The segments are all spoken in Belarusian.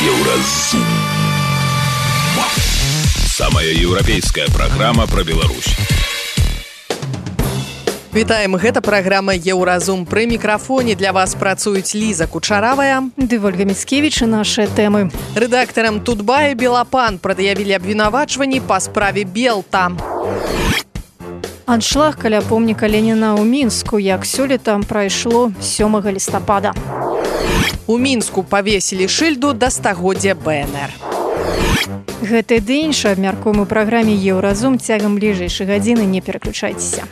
Еўразум. Самая еўрапейская праграма пра Беларусь. Вітаем, гэта праграма «Еўразум». Пры мікрафоне для вас працуюць Ліза Кучаравая ды Вольга Міцкевіч і нашыя тэмы. Рэдактарам Тутбай Белапан прад'явілі абвінавачванні па справе Белта. Аншлаг каля помніка Леніна ў Мінску, як сёлета прайшло 7 лістапада. У Мінску павесілі шыльду да стагоддзя БНР. Гэты ды іншы абмяркуем у праграме «Еўразум». Цягам бліжэйшай гадзіны не пераключайцеся.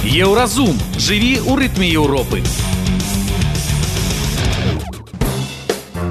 Еўразум. Жыві ў рытме Еўропы.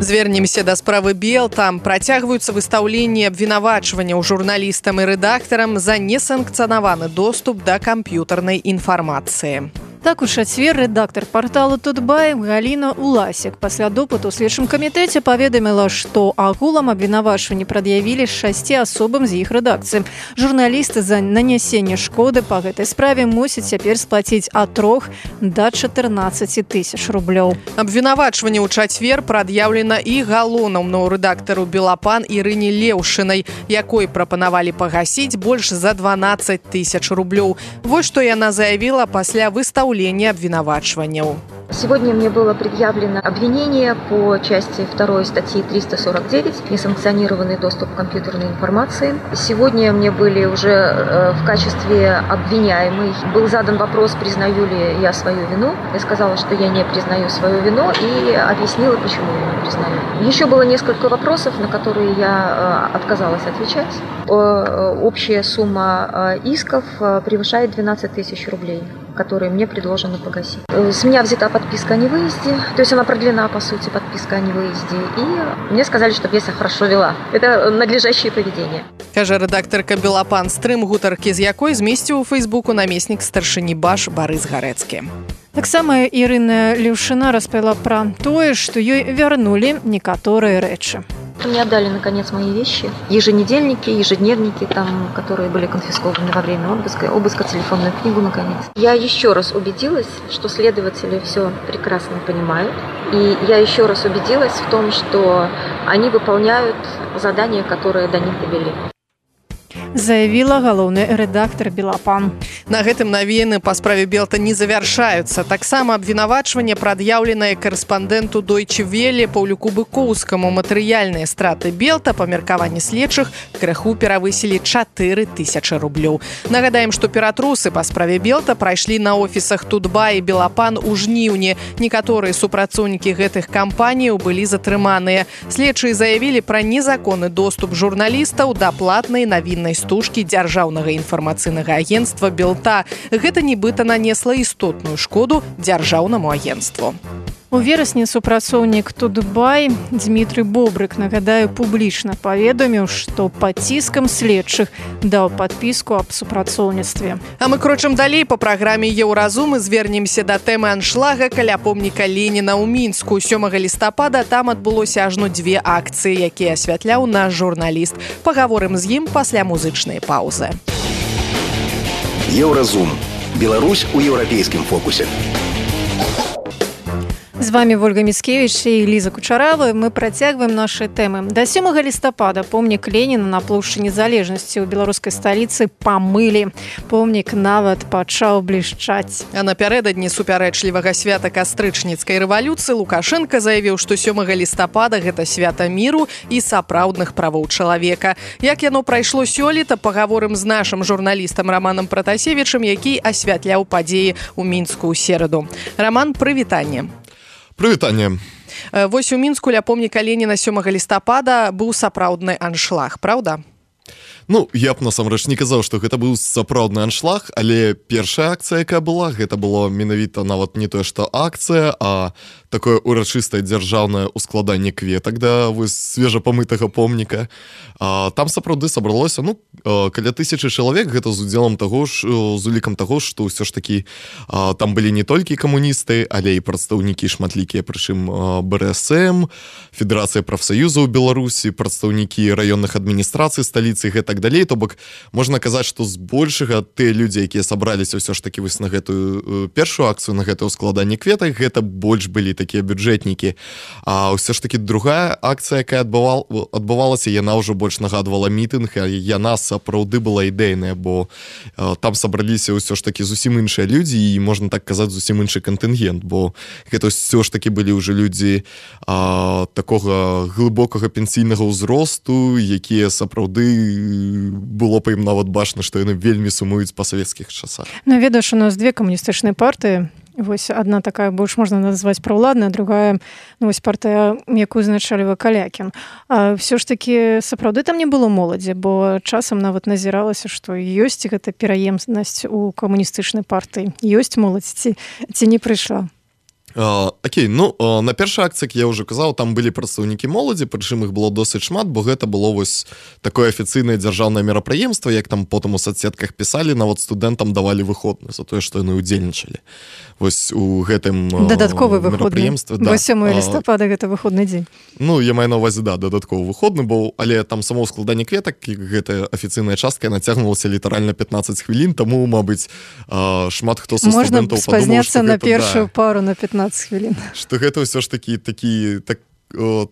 Звернемся да справы Белта. Працягваюцца выстаўленні абвінавачванняў журналістам і рэдактарам за несанкцыянаваны доступ да камп'ютарнай інфармацыі. Так у чацвер рэдактар парталу Тутбай Галіна Уласік пасля допыту ў следчым камітэце паведаміла, што агулам абвінавачванні прад'явілі 6 асобам з іх рэдакцыі. Журналісты за нанясенне шкоды па гэтай справе мусяць цяпер сплаціць ад 3 да 14 тысяч рублёў. Абвінавачванне ў чацвер прад'яўлена і галоўнаму рэдактару Белапан Ірыне Леўшынай, якой прапанавалі пагасіць больш за 12 тысяч рублёў. Вось што яна заявіла пасля выстаўлення обвинувачиванию. Сегодня мне было предъявлено обвинение по части 2 статьи 349 «Несанкционированный доступ к компьютерной информации». Сегодня мне были уже в качестве обвиняемой. Был задан вопрос, признаю ли я свою вину. Я сказала, что я не признаю свою вину и объяснила, почему я не признаю. Еще было несколько вопросов, на которые я отказалась отвечать. Общая сумма исков превышает 12 тысяч рублей, которые мне предложено погасить. С меня взята подписка о невыезде, то есть она продлена, по сути, подписка о невыезде, и мне сказали, чтобы я себя хорошо вела. Это надлежащее поведение. Кажа рэдактарка Белапан, стрым гутаркі з якой змесціў у Фейсбуку намеснік старшыні БАШ Барыс Гарэцкі. Таксама Ірына Леўшына распавяла пра тое, што ёй вярнулі некаторыя рэчы. Мне отдали, наконец, мои вещи. Еженедельники, ежедневники, которые были конфискованы во время обыска, телефонную книгу, наконец. Я еще раз убедилась, что следователи все прекрасно понимают. И я еще раз убедилась в том, что они выполняют задания, которые до них довели. Заявіла галоўны рэдактар Белапан. На гэтым навіны па справе Белта не завяршаюцца. Таксама абвінавачванне прад'яўленае карэспандэнту Дойче Веле Паўлюку Быкоўскаму. Матэрыяльныя страты Белта па меркаванні следчых крыху перавысілі 4 тысячы рублёў. Нагадаем, што ператрусы па справе Белта прайшлі на офісах Тутбай і Белапан у жніўні. Некаторыя супрацоўнікі гэтых кампаніяў былі затрыманыя. Следчыя заявілі пра незаконны доступ журналістаў да платнай навіннай стужкі дзяржаўнага інфармацыйнага агенцтва Белта. Гэта нібыта нанесла істотную шкоду дзяржаўнаму агенцтву. У верасні супрацоўнік Тутбай Дмітрый Бобрык, нагадаю, публічна паведаміў, што пад ціскам следчых даў падпіску аб супрацоўніцтве. А мы крочым далей па праграме «Еўразум» і звернемся да тэмы аншлага каля помніка Леніна ў Мінску. 7 лістапада там адбылося ажно 2 акцыі, якія асвятляў наш журналіст. Пагаворым з ім пасля музычнай паўзы. Еўразум. Беларусь у еўрапейскім фокусе. З вами Вольга Міцкевіч і Ліза Кучаравая. Мы працягваем нашы тэмы. До 7 лістапада помнік Леніна на плошчы Незалежнасці ў беларускай сталіцы памылі. Помнік нават пачаў блішчаць. А напярэдадні супярэчлівага свята кастрычніцкай рэвалюцыі Лукашенко заявіў, што 7 лістапада гэта свята міру і сапраўдных правоў чалавека. Як яно прайшло сёлета, пагаворым з нашым журналістам Романом Пратасевічам, які асвятляў падзеі ў Мінску ў сераду. Роман, прывітанне. Прывітанне. Вось у Мінску ля помніка Леніна 7 лістапада быў сапраўдны аншлаг, праўда? Ну, я б насамрэч не казаў, што гэта быў сапраўдны аншлаг, але першая акцыя, якая была, гэта было менавіта нават не тое, што акцыя, а такое урачыстае дзяржаўнае ускладанне кветак да вось свежапамытага помніка. Там сапраўды сабралося, каля 1000 чалавек, гэта з удзелам таго ж, з улікам таго, што ўсё ж такі там былі не толькі камуністы, але і прадстаўнікі шматлікія, прычым БРСМ, Федэрацыя прафсаюзаў Беларусі, прадстаўнікі раённых адміністрацый сталіцы, гэтак далей. То бок можна казаць, што збольшага тыя людзі, якія сабраліся ўсё ж такі вось на гэтую першую акцыю, на гэтае ўскладанне кветак, гэта больш былі такія бюджэтнікі. А ўсё ж таки другая акцыя, якая адбывалася, яна ўжо больш нагадвала мітынг, а яна сапраўды была ідэйная, бо там сабраліся ўсё ж таки зусім іншыя людзі і, можна так казаць, зусім іншы кантынгент, бо гэта ўсё ж таки былі ўжо людзі такога глыбокага пенсійнага ўзросту, якія сапраўды было па ім нават бачна, што яны вельмі сумуюць па савецкіх часах. Ну, ведаеш, у нас две камуністычныя партыі. Вось одна такая больш можна назваць праўладная, другая, ну, вось партыя, якую узначальвае Калякін. А ўсё ж такі сапраўды там не было моладзі, бо часам нават назіралася, што ёсць гэта пераемнасць у камуністычнай партыі. Ёсць моладзь ці не прыйшла? Окей, ну, на першай акцыі, як я ўжо казаў, там былі прадстаўнікі моладзі, прычым іх было досыць шмат, бо гэта было вось такое афіцыйнае дзяржаўнае мерапрыемства, як там потым у соцсетках пісалі, нават студэнтам давалі выходны за тое, што яны ўдзельнічалі. Вось у гэтым дадатковы мерапрыемстве. Да. 8 лістапада гэта выходны дзень. Ну, я маю на увазе, да, дадатковы выходны, бо, але там само складанне кветак, гэтая афіцыйная частка нацягнулася літаральна 15 хвілін, таму, мабыць, шмат хто са студэнтаў падумаў, што спазняцца на першую пару на 15 хвілін. Што гэта ўсё ж такі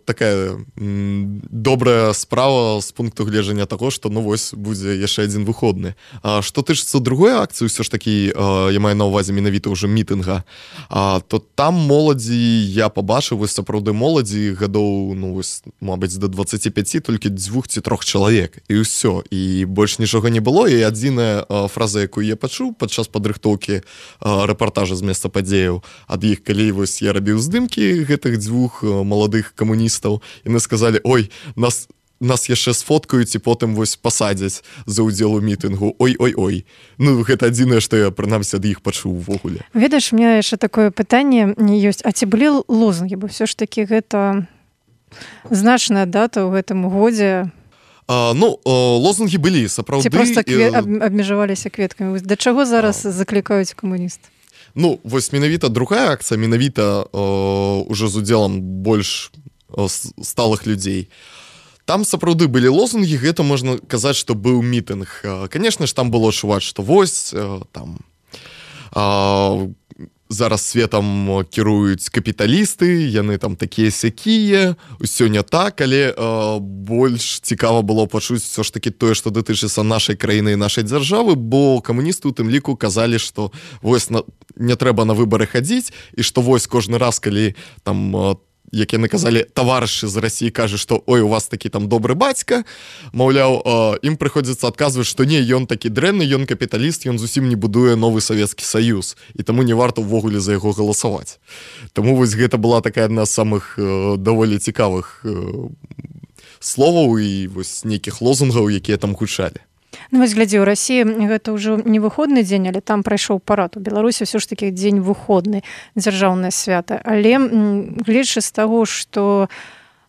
такая добрая справа з пункту гледжання таго, што ну вось будзе яшчэ адзін выходны. Што тычыцца другой акцыі, ўсё ж такі я маю на ўвазе менавіта ўжо мітынга, то там моладзі я пабачыў, вось сапраўды моладзі гадоў, ну вось, мабыць, до 25, толькі 2 ці 3 чалавек, і ўсё, і больш нічога не было, і адзіная фраза, якую я пачуў падчас падрыхтоўкі рэпартажа з месца падзеяў ад іх, калі вось я рабіў здымкі гэтых 2 маладых камуністаў, яны сказалі: ой, нас яшчэ сфоткаюць і потым вось пасадзяць за ўдзел у мітынгу. Ой. Ну, гэта адзінае, што я, прынамсі, ад іх пачуў увогуле. Ведаеш, у меня яшчэ такое пытанне ёсць. А ці былі лозунгі? Бо ўсё ж такі гэта значная дата ў гэтым годзе. Ну, лозунгі былі, сапраўды. Ці проста абмежаваліся кветкамі? Да чаго зараз заклікаюць камуністы? Ну, вось менавіта другая акцыя, менавіта уже з удзелам больш сталых людзей. Там сапраўды былі лозунгі, гэта можна казаць, што быў мітынг. Канешне ж, там было чуваць, што вось там зараз светам кіруюць капіталісты, яны там такія-сякія, усё не так, але больш цікава было пачуць все ж таки тое, што датычыцца нашай краіны і нашай дзяржавы, бо камуністы у тым ліку казалі, што вось не трэба на выбары хадзіць, і што вось кожны раз, калі там як яны казалі, таварышы з Расіі кажа, што ой, у вас такі там добры бацька, маўляў, ім прыходзіцца адказваць, што не, ён такі дрэнны, ён капіталіст, ён зусім не будуе новы Савецкі Саюз, і таму не варта ўвогуле за яго галасаваць. Таму вось гэта была такая адна з самых даволі цікавых словаў і вось нейкіх лозунгаў, якія там гучалі. Ну, вось глядзі, у Расіі гэта ўжо не выходны дзень, але там прайшоў парад. У Беларусі ўсё ж такі дзень выходны, дзяржаўнае свята. Але гледзячы з таго, што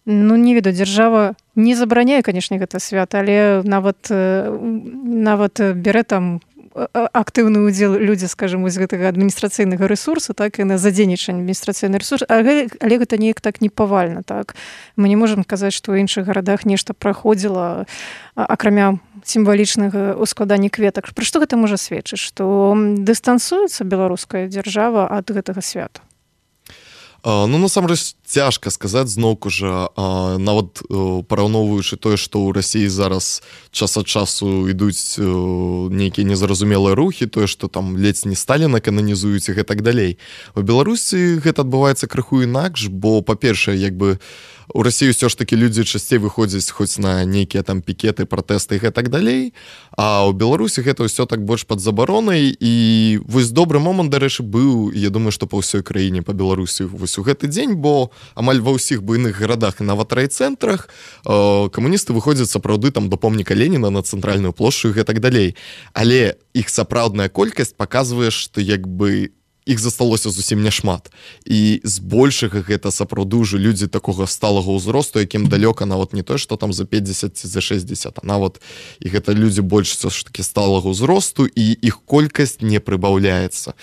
ну, не ведаю, дзяржава не забараняе, канешне, гэта свята, але нават бярэ там актыўны ўдзел людзі, скажем, вось гэтага адміністрацыйнага рэсурсу, так, і на задзейнічанне адміністрацыйны рэсурс, але гэта неяк так не павальна, так. Мы не можам казаць, што ў іншых гарадах нешта праходзіла, акрамя сімвалічнага ускладання кветак. Пра што гэта можа сведчыць? Што дыстансуецца беларуская дзяржава ад гэтага свята? Ну, насамрэч, цяжка сказаць, зноўку жа, нават параўноўваючы тое, што ў Расіі зараз час ад часу ідуць нейкія незразумелыя рухі, тое, што там ледзь не Сталіна кананізуюць і гэтак далей. У Беларусі гэта адбываецца крыху інакш, бо, па-першае, як бы у Расіі ўсё ж такі людзі часцей выходзяць хоць на нейкія там пікеты, пратэсты і гэтак далей, а ў Беларусі гэта ўсё так больш пад забаронай, і вось добры момант, дарэчы, быў, я думаю, што па ўсёй краіне, па Беларусі вось у гэты дзень, бо амаль ва ўсіх буйных гарадах і нават райцэнтрах камуністы выходзяць сапраўды там да помніка Леніна на цэнтральную плошчу і гэтак далей. Але іх сапраўдная колькасць паказвае, што як бы іх засталося зусім няшмат. І збольшага гэта сапраўды ўжо людзі такога сталага ўзросту, якім далёка нават не тое, што там за 50 ці за 60, а нават і гэта людзі больш все ж такі сталага ўзросту, і іх колькасць не прыбаўляецца.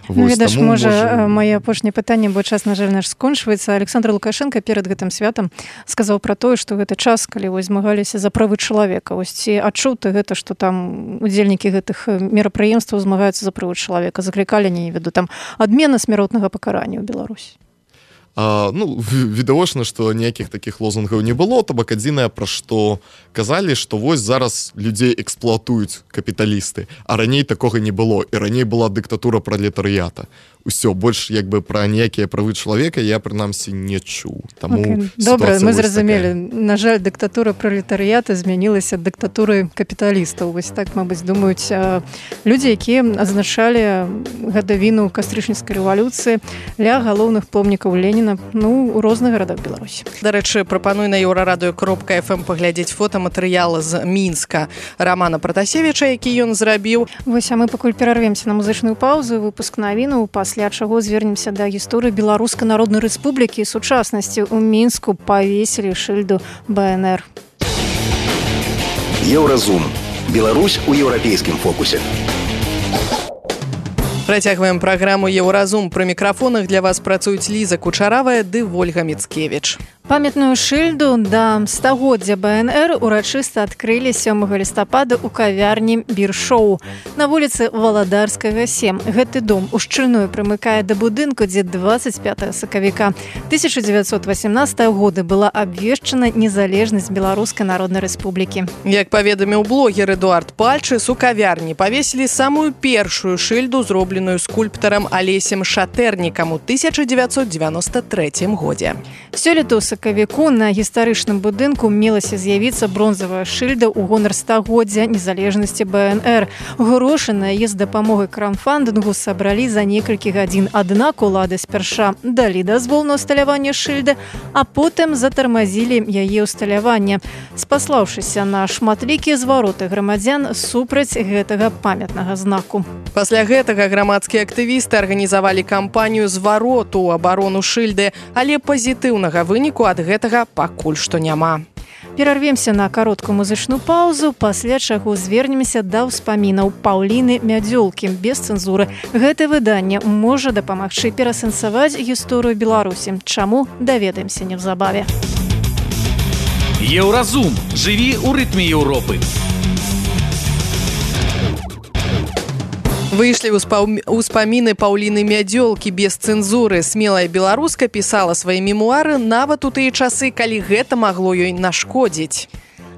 Ну, ведаеш, можа, мае апошняе пытанне, бо час, на жаль, наш скончваецца. Александр Лукашенко перад гэтым святам сказаў пра тое, што гэта час, калі вось змагаліся за правы чалавека. Вось ці адчуў ты гэта, што там удзельнікі гэтых мерапрыемстваў змагаюцца за правы чалавека, заклікалі, не веду, там адмена смяротнага пакарання ў Беларусі? відавочна, што ніякіх такіх лозунгаў не было, то бок адзінае, пра што казалі, што вось зараз людзей эксплуатуюць капіталісты, а раней такога не было, і раней была дыктатура пралетарыята. Усё, больш як бы пра ніякія правы чалавека я прынамсі не чуў. Добра, мы зразумелі. На жаль, дыктатура пралетарыята змянілася дыктатурай капіталістаў. Вось так, мабыць, думаюць людзі, якія адзначалі гадавіну кастрычніцкай рэвалюцыі ля галоўных помнікаў Леніна у розных гарадах Беларусі. Дарэчы, прапаную на еўрарадыё.фм паглядзець фотаматэрыял з Мінска Рамана Пратасевіча, які ён зрабіў. Вось, а мы пакуль перарвемся на музычную паўзу, выпуск навінаў, пасля чаго звернемся да гісторыі Беларускай Народнай Рэспублікі і сучаснасці. У Мінску павесілі шыльду БНР. Еўразум. Беларусь у еўрапейскім фокусе. Працягваем праграму «Еўразум». Пры мікрафонах для вас працуюць Ліза Кучаравая ды Вольга Міцкевіч. Памятную шыльду да стагоддзя БНР урачыста адкрылі 7 лістапада ў кавярні «Бір-шоу» на вуліцы Валадарскага, 7. Гэты дом ушчыльную прымыкае да будынку, дзе 25 сакавіка 1918 года была абвешчана незалежнасць Беларускай Народнай Рэспублікі. Як паведаміў блогер Эдуард Пальчыс, у кавярні павесілі самую першую шыльду, зробленую скульптарам Алесем Шатэрнікам у 1993 годзе. Сёлета ў сакавіку на гістарычным будынку мелася з'явіцца бронзавая шыльда ў гонар стагоддзя незалежнасці БНР. Грошы на яе з дапамогай краўдфандынгу сабралі за некалькі гадзін. Аднак улады спярша далі дазвол на ўсталяванне шыльды, а потым затармазілі яе ўсталяванне, спаслаўшыся на шматлікія звароты грамадзян супраць гэтага памятнага знаку. Пасля гэтага грамадскія актывісты арганізавалі кампанію звароту ў абарону шыльды, але пазітыўнага выніку ад гэтага пакуль што няма. Перарвемся на кароткую музычную паўзу, пасля чаго звернемся да ўспамінаў Паўліны Мядзёлкі без цэнзуры. Гэта выданне можа дапамагчы перасэнсаваць гісторыю Беларусі. Чаму, даведаемся неўзабаве. Еўразум. Жыві ў рытме Еўропы. Выйшлі ўспаміны Паўліны Мядзёлкі без цэнзуры. Смелая беларуска пісала свае мемуары нават у тыя часы, калі гэта магло ёй нашкодзіць.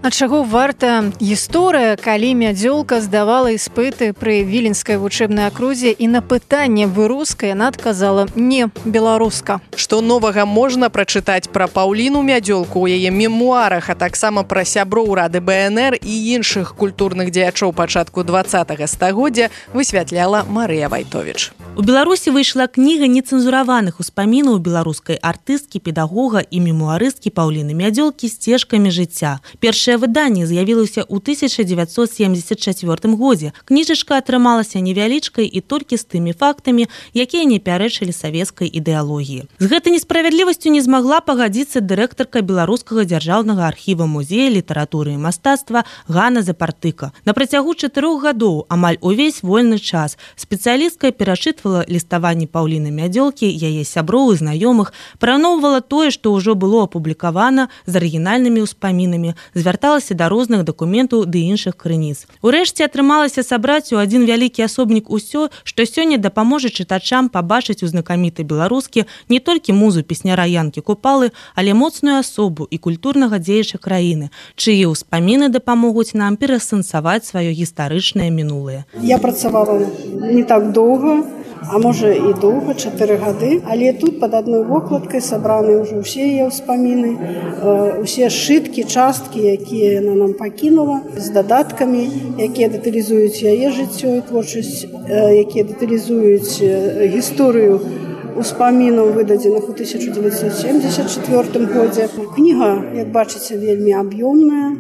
Ад чаго варта гісторыя, калі Мядзёлка здавала іспыты пры віленскай вучэбнай акрузе і на пытанне «Вы руская» яна адказала «Не, беларуска». Што новага можна прачытаць пра Паўліну Мядзёлку ў яе мемуарах, а таксама пра сяброў Рады БНР і іншых культурных дзеячоў пачатку 20-го стагоддзя, высвятляла Марыя Вайтовіч. У Беларусі выйшла кніга нецэнзураваных успамінаў беларускай артысткі, педагога і мемуарысткі Паўліны Мядзёлкі «Сцежкамі жыцця». Першае выданне з'явілася ў 1974 годзе. Кніжачка атрымалася невялічкай і толькі з тымі фактамі, якія не пярэчылі савецкай ідэалогіі. З гэтай несправядлівасцю не змагла пагадзіцца дырэктарка Беларускага дзяржаўнага архіва музея літаратуры і мастацтва Ганна Запартыка. На працягу 4 гадоў, амаль увесь вольны час, спецыялістка перачытвала ліставанні Паўліны Мядзёлкі, яе сяброў і знаёмых, параўноўвала тое, што ўжо было апублікавана з арыгінальнымі ўспамінамі, звярталася да розных дакументаў ды іншых крыніц. Урэшце атрымалася сабраць у адзін вялікі асобнік усё, што сёння дапаможа чытачам пабачыць у знакамітай беларускі не толькі музу песняра Янкі Купалы, але моцную асобу і культурнага дзеяча краіны, чые ўспаміны дапамогуць нам перасэнсаваць сваё гістарычнае мінулае. Я працавала не так доўга, а можа і доўга, 4 гады, але тут пад адной вокладкай сабраны ўжо ўсе яе ўспаміны, усе сшыткі, часткі, якія яна нам пакінула, з дадаткамі, якія дэталізуюць яе жыццё і творчасць, якія дэталізуюць гісторыю успамінаў, выдадзеных у 1974 годзе. Кніга, як бачыце, вельмі аб'ёмная,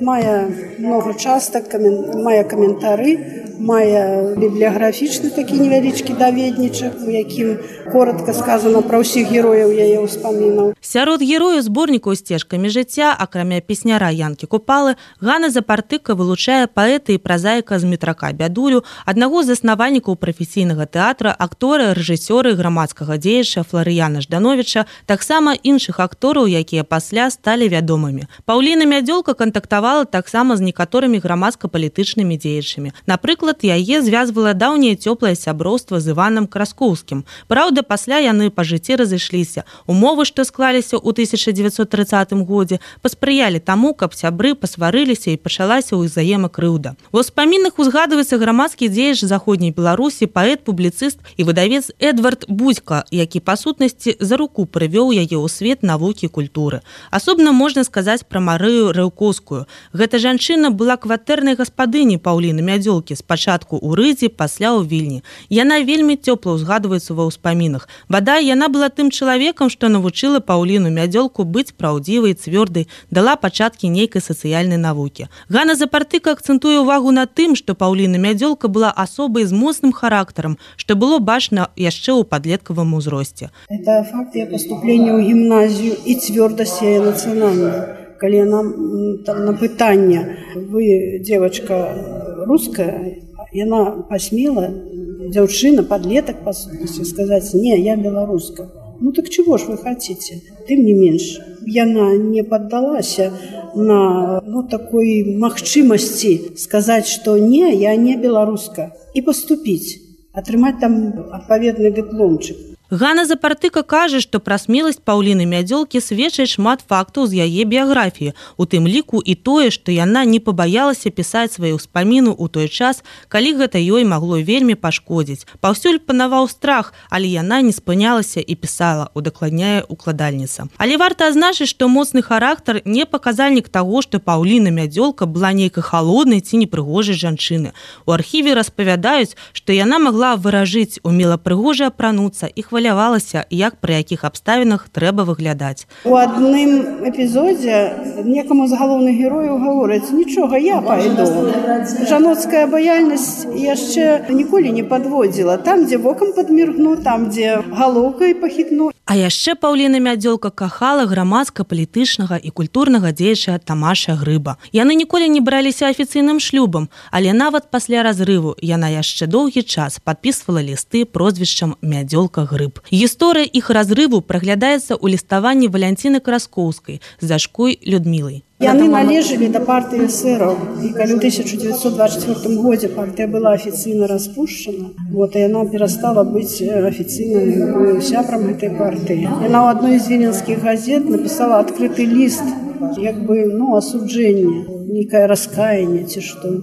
мае многа частак, мае каментары, мае бібліяграфічны такі невялічкі даведнічак, у якім коротка сказана пра ўсіх герояў яе ўспамінаў. Сярод герояў зборнікаў «Сцежкамі жыцця», акрамя песняра Янкі Купалы, Ганна Запартыка вылучае паэта і празаіка Змітрака Бядулю, аднаго з заснавальнікаў прафесійнага тэатра, актора, рэжысёра і грамадскага дзеяча Фларыяна Ждановіча, таксама іншых актораў, якія пасля сталі вядомымі. Паўліна Мядзёлка кантактавала таксама з некаторымі грамадска-палітычнымі дзеячамі. Напрыклад, Напрыклад, яе звязвала даўняе цёплае сяброўства з Іванам Краскоўскім. Праўда, пасля яны па жыцці разышліся. Умовы, што склаліся ў 1930 годзе, паспрыялі таму, каб сябры пасварыліся і пачалася ўзаемакрыўда. У ўспамінах узгадваецца грамадскі дзеяч заходняй Беларусі, паэт, публіцыст і выдавец Эдвард Будзька, які па сутнасці за руку прывёў яе ў свет навукі і культуры. Асобна можна сказаць пра Марыю Рэўкоўскую. Гэта жанчына была кватэрнай гаспадыняй Паўліны Мядзёлкі, спачатку ў Рыдзі, пасля ў Вільні. Яна вельмі цёпла ўзгадваецца ва ўспамінах. Бадай, яна была тым чалавекам, што навучыла Паўліну Мядзёлку быць праўдзівай, цвёрдай, дала пачаткі нейкай сацыяльнай навукі. Ганна Запартыка акцэнтуе ўвагу на тым, што Паўліна Мядзёлка была асобай з моцным характарам, што было бачна яшчэ ў падлеткавым узросце. Это факт ее поступления ў гімназію і цвёрдасць яе нацыянальная. Калі яна там на пытанне, вы девочка русская, яна посмела, дзяўчына, подлеток, по сути, сказать: не, я белорусская. Ну так чего ж вы хотите? Тым не менш, яна не поддалася на такой магчымасці сказать, что не, я не белорусская, и поступить, атрымаць там адпаведны дыпломчык. Ганна Запартыка кажа, што пра смеласць Паўліны Мядзёлкі сведчыць шмат фактаў з яе біяграфіі, у тым ліку і тое, што яна не пабаялася пісаць свае ўспаміны ў той час, калі гэта ёй магло вельмі пашкодзіць. Паўсюль панаваў страх, але яна не спынялася і пісала, удакладняе укладальніца. Але варта адзначыць, што моцны характар не паказальнік таго, што Паўліна Мядзёлка была нейкай халоднай ці непрыгожай жанчыны. У архіве распавядаюць, што яна магла выражыць, умела прыгожа апрануцца і хвалявалася, як пры якіх абставінах трэба выглядаць. У адным эпізодзе некаму з галоўных герояў гаворыць: нічога, я пайду. Жаноцкая абаяльнасць яшчэ ніколі не падводзіла. Там, дзе вокам падміргну, там, дзе галоўкай пахітну. А яшчэ Паўліна Мядзёлка кахала грамадска-палітычнага і культурнага дзеяча Тамаша Грыба. Яны ніколі не браліся афіцыйным шлюбам, але нават пасля разрыву яна яшчэ доўгі час падпісвала лісты прозвішчам Мядзёлка Грыб. Гісторыя іх разрыву праглядаецца ў ліставанні Валянціны Краскоўскай з дачкой Людмілай. Яны належалі да партыі эсэраў, і калі ў 1924 годзе партыя была афіцыйна распушчана, яна перастала быць афіцыйным сябрам гэтай партыі. Яна ў адной з віленскіх газет напісала адкрыты ліст, асуджэнне, нейкае раскаянне ці што.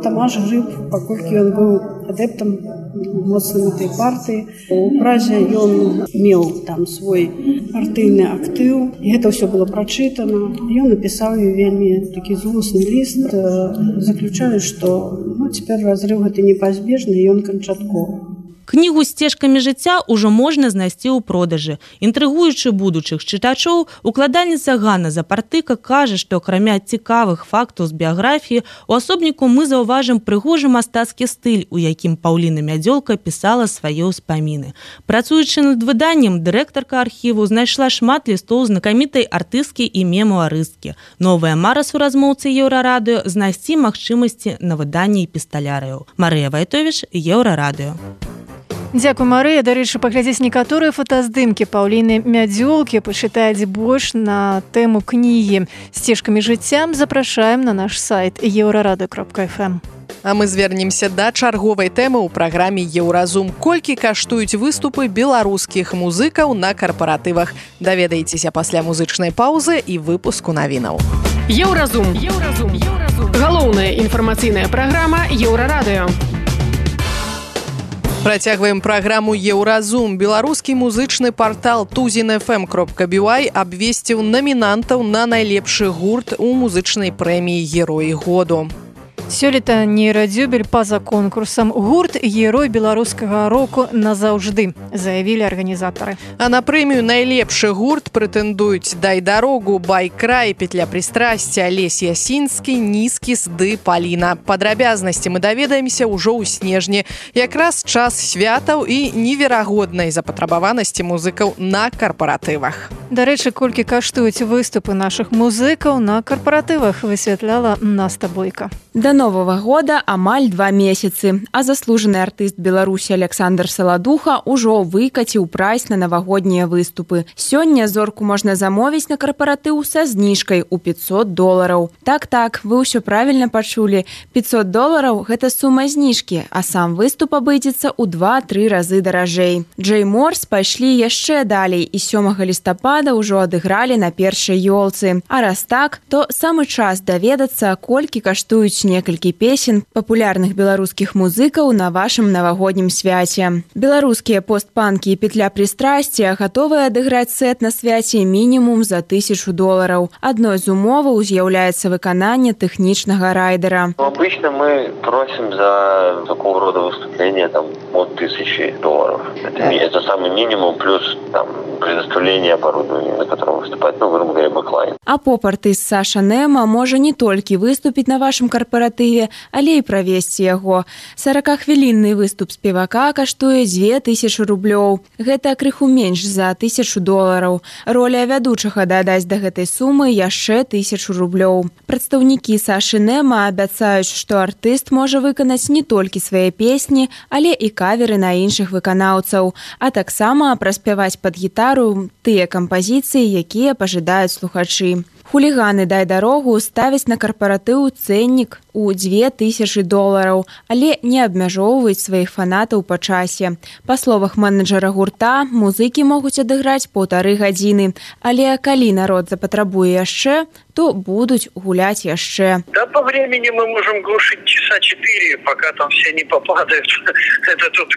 Тамаш Грыб, паколькі ён быў адэптам моцным этой партыі, у Празе ён меў там свой партыйны актыў, і гэта ўсё было прачытана. Ён напісаў вельмі такі злосны ліст, заключаю, што цяпер разрыв гэта непазбежны, і ён канчатковы. Кнігу «Сцежкамі жыцця» ўжо можна знайсці ў продажы. Інтрыгуючы будучых чытачоў, укладальніца Ганна Запартыка кажа, што акрамя цікавых фактаў з біяграфіі, у асобніку мы заўважым прыгожы мастацкі стыль, у якім Паўліна Мядзёлка пісала свае ўспаміны. Працуючы над выданнем, дырэктарка архіву знайшла шмат лістоў знакамітай артысткі і мемуарысткі. Новая мара суразмоўцы Еўрарадыё знайсці магчымасці на выданні эпісталярыяў. Марыя Вайтовіч, Еўрарадыё. Дзякуй, Марыя. Дарэчы, паглядзець некаторыя фотаздымкі Паўліны Мядзёлкі, пачытаць больш на тэму кнігі «Сцежкамі жыцця» запрашаем на наш сайт euraradыё.fm. А мы звернемся да чарговай тэмы ў праграме «Еўразум». Колькі каштуюць выступы беларускіх музыкаў на карпаратывах? Даведаецеся пасля музычнай паўзы і выпуску навінаў. Еўразум. Галоўная інфармацыйная праграма Еўрарадыё. Працягваем праграму «Еўразум». Беларускі музычны партал tuzin.fm.by абвесціў намінантаў на найлепшы гурт у музычнай прэміі «Герой году». Сёлета нейрадзюбель па-за конкурсам. Гурт «Герой беларускага року назаўжды», заявілі арганізатары. А на прэмію «Найлепшы гурт» прэтэндуюць «Дай дарогу», «Байкрай», «Петля прыстрасця», Алесь Ясінскі, «Нізкіс» ды «Паліна». Падрабязнасці мы даведаемся ўжо ў снежні. Якраз час святаў і неверагоднай запатрабаванасці музыкаў на карпаратывах. Дарэчы, колькі каштуюць выступы нашых музыкаў на карпаратывах, высвятляла Наста Бойка. Да Новага года амаль 2 месяцы, а заслужаны артыст Беларусі Александр Саладуха ўжо выкаціў прайс на навагоднія выступы. Сёння зорку можна замовіць на карпаратыў са зніжкай у $500. Так, вы ўсё правільна пачулі. $500 – гэта сума зніжкі, а сам выступ абыдзецца ў 2-3 разы даражэй. Джей Морс пайшлі яшчэ далей і 7 лістапада ўжо адыгралі на першай ёлцы. А раз так, то самы час даведацца, колькі каштуюць некалькі песен папулярных беларускіх музыкаў на вашым навагоднім свяце. Беларускія постпанкі і петля прыстрасця гатовыя адыграць сет на свяце мінімум за $1000. Адной з умоваў з'яўляецца выкананне тэхнічнага райдера. Обычно мы просим за такого рода выступления от $1000. Это самый минимум, плюс предоставление оборудования, на котором выступает, грубо говоря, бэклайн. А поп-артыст Саша Нема можа не толькі выступіць на вашым карпаратыве, але і правесці яго. 40-хвілінны выступ спевака каштуе $2000. Гэта крыху менш за $1000. Роля вядучага дадаць да гэтай сумы яшчэ $1000. Прадстаўнікі Сашы Нема абяцаюць, што артыст можа выканаць не толькі свае песні, але і каверы на іншых выканаўцаў, а таксама праспяваць пад гітару тыя кампазіцыі, якія пажадаюць слухачы. Хуліганы «Дай дарогу» ставяць на карпаратыў цэннік у $2000, але не абмяжоўваюць сваіх фанатаў па часе. Па словах менеджера гурта, музыкі могуць адыграць 1,5 гадзіны, але калі народ запатрабуе яшчэ, то будуць гуляць яшчэ. Да, по времени мы можем глушить часа 4, пока там все не попадают. Это тут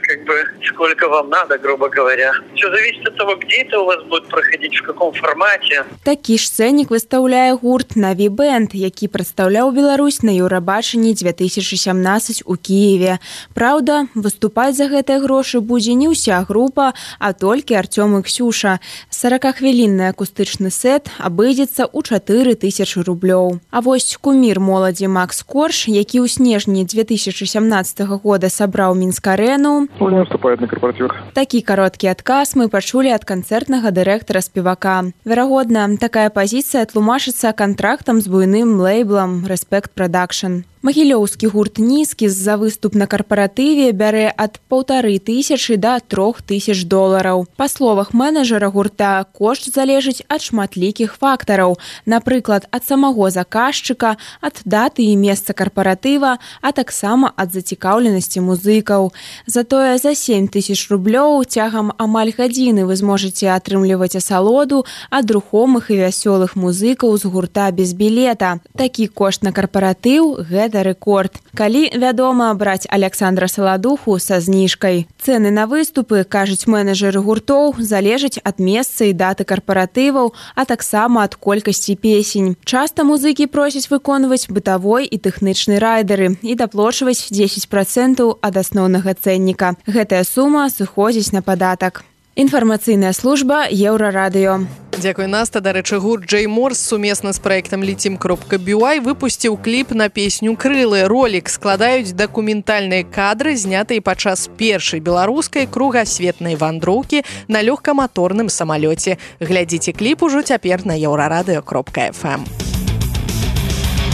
сколько вам надо, грубо говоря. Все зависит от того, где это у вас будет проходить, в каком формате. Такі ж цэннік выстаўляе гурт «Наві Бэнд», які прадстаўляў Беларусь на Еўрабачанні 2017 у Кіеве. Праўда, выступаць за гэтыя грошы будзе не ўся група, а толькі Артём і Ксюша. 40-хвілінны акустычны сет абыдзецца ў $4000. А вось кумір моладзі Макс Корж, які ў снежні 2017 года сабраў Мінск-арэну, не выступает на корпоративах. Такі кароткі адказ мы пачулі ад канцэртнага дырэктара спевака. Верагодна, такая пазіцыя тлумачыцца кантрактам з буйным лейблам Respect Production. Магілёўскі гурт «Нізкі» за выступ на карпаратыве бярэ ад $1500 да $3000. Па словах менеджера гурта, кошт залежыць ад шматлікіх фактараў, напрыклад, ад самого заказчыка, ад даты і месца карпаратыва, а таксама ад зацікаўленасці музыкаў. Затое за $7000 цягам амаль гадзіны вы зможаце атрымліваць асалоду ад рухомых і вясёлых музыкаў з гурта без білета. Такі кошт на карпаратыў – гэта рэкорд. Калі, вядома, браць Александра Саладуху са зніжкай. Цэны на выступы, кажуць менеджеры гуртоў, залежаць ад месца і даты карпаратываў, а таксама ад колькасці песень. Часта музыкі просяць выконваць бытавой і тэхнічны райдеры і даплочваць 10% ад асноўнага цэнніка. Гэтая сума сыходзіць на падатак. Інфармацыйная служба Еўрарадыё. Дзякуй, Наста. Дарэчы, гурт Джей Морс сумесна з праектам Letim.by выпусціў кліп на песню «Крылы». Ролік складаюць дакументальныя кадры, знятыя падчас першай беларускай кругасветнай вандроўкі на лёгкаматорным самалёце. Глядзіце кліп ужо цяпер на еўрарадыё.фм.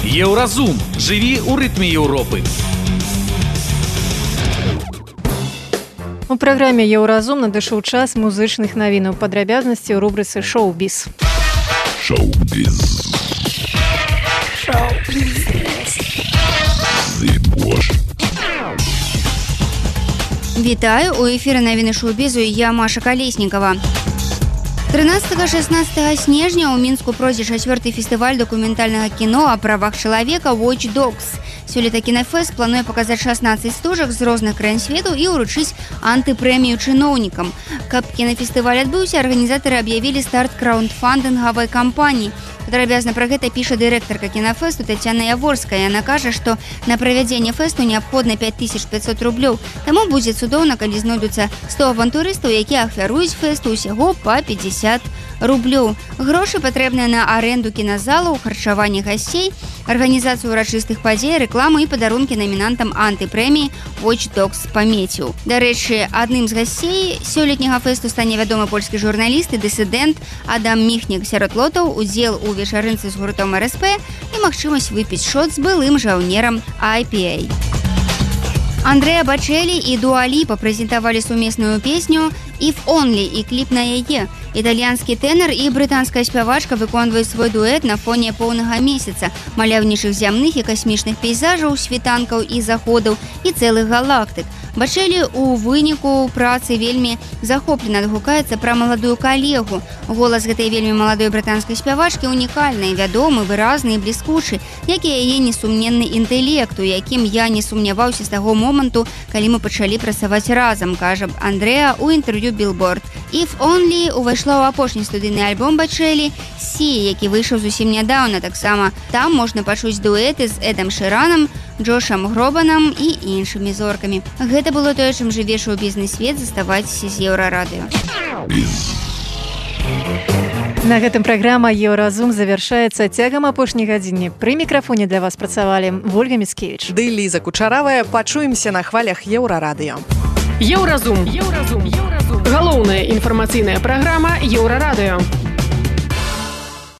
Еўразум. Жыві ў рытме Еўропы. У праграме «Еўразум» надышоў час музычных навінаў. Падрабязнасці ў рубрыцы «Шоу-біз». Шоу-біз. Вітаю, у эфіры навіны шоу-бізу, я Маша Калеснікава. 13-16 снежня ў Мінску пройдзе 4-й фестываль дакументальнага кіно о правах чалавека Watch Dogs. Сёлета кінафэст плануе паказаць 16 стужак з розных краін свету і ўручыць антыпрэмію чыноўнікам. Каб кінафестываль адбыўся, арганізатары аб'явілі старт краундфандынгавай кампаніі. Падрабязна пра гэта піша дырэктарка кінафэсту Тацяна Яворская. Яна кажа, што на правядзенне фэсту неабходна $5500. Таму будзе цудоўна, калі знойдуцца 100 авантурыстаў, якія ахвяруюць фэсту ўсяго па $50. Грошы патрэбныя на аренду кіназалаў, харчаванне гасцей, арганізацыю урачыстых падзей, рэкламу і падарункі намінантам антыпрэміі Watch Dogs памяцю. Дарэчы, адным з гасцей сёлетняга фэсту стане вядомы польскі журналіст і дысідэнт Адам Міхнік. Сярод лотаў удзел у вечарынцы з гуртом РСП і магчымасць выпіць шот з былым жаўнерам IPA. Андрэа Бачэлі і Дуа Ліпа прэзентавалі сумесную песню «If Only» і кліп на яе. Італьянскі тэнар і брытанская спявачка выконваюць свой дуэт на фоне поўнага месяца, маляўнічых зямных і касмічных пейзажаў, світанкаў і заходаў і цэлых галактык. Бачэлі у выніку працы вельмі захоплена адгукаецца пра маладую калегу. Голас гэтай вельмі маладой брытанскай спявачкі унікальны, вядомы, выразны і бліскучы, як і яе несумненны інтэлект, у якім я не сумняваўся з таго моманту, калі мы пачалі працаваць разам, кажа Андрэа ў інтэрв'ю Billboard. «If Only» увайшла ў апошні студыйны альбом Бачэлі «Сі», які выйшаў зусім нядаўна. Таксама там можна пачуць дуэты з Эдам Шыранам, Джошам Гробанам і іншымі зоркамі. Гэта было тое, чым жыве шоу-бізнес-свет. Заставайцеся з Еўрарадыё. На гэтым праграма «Еўразум» завяршаецца. Цягам апошняй гадзіны пры мікрафоне для вас працавалі Вольга Міцкевіч ды Ліза Кучаравая. Пачуемся на хвалях Еўрарадыё. Еўразум. Галоўная інфармацыйная праграма Еўрарадыё.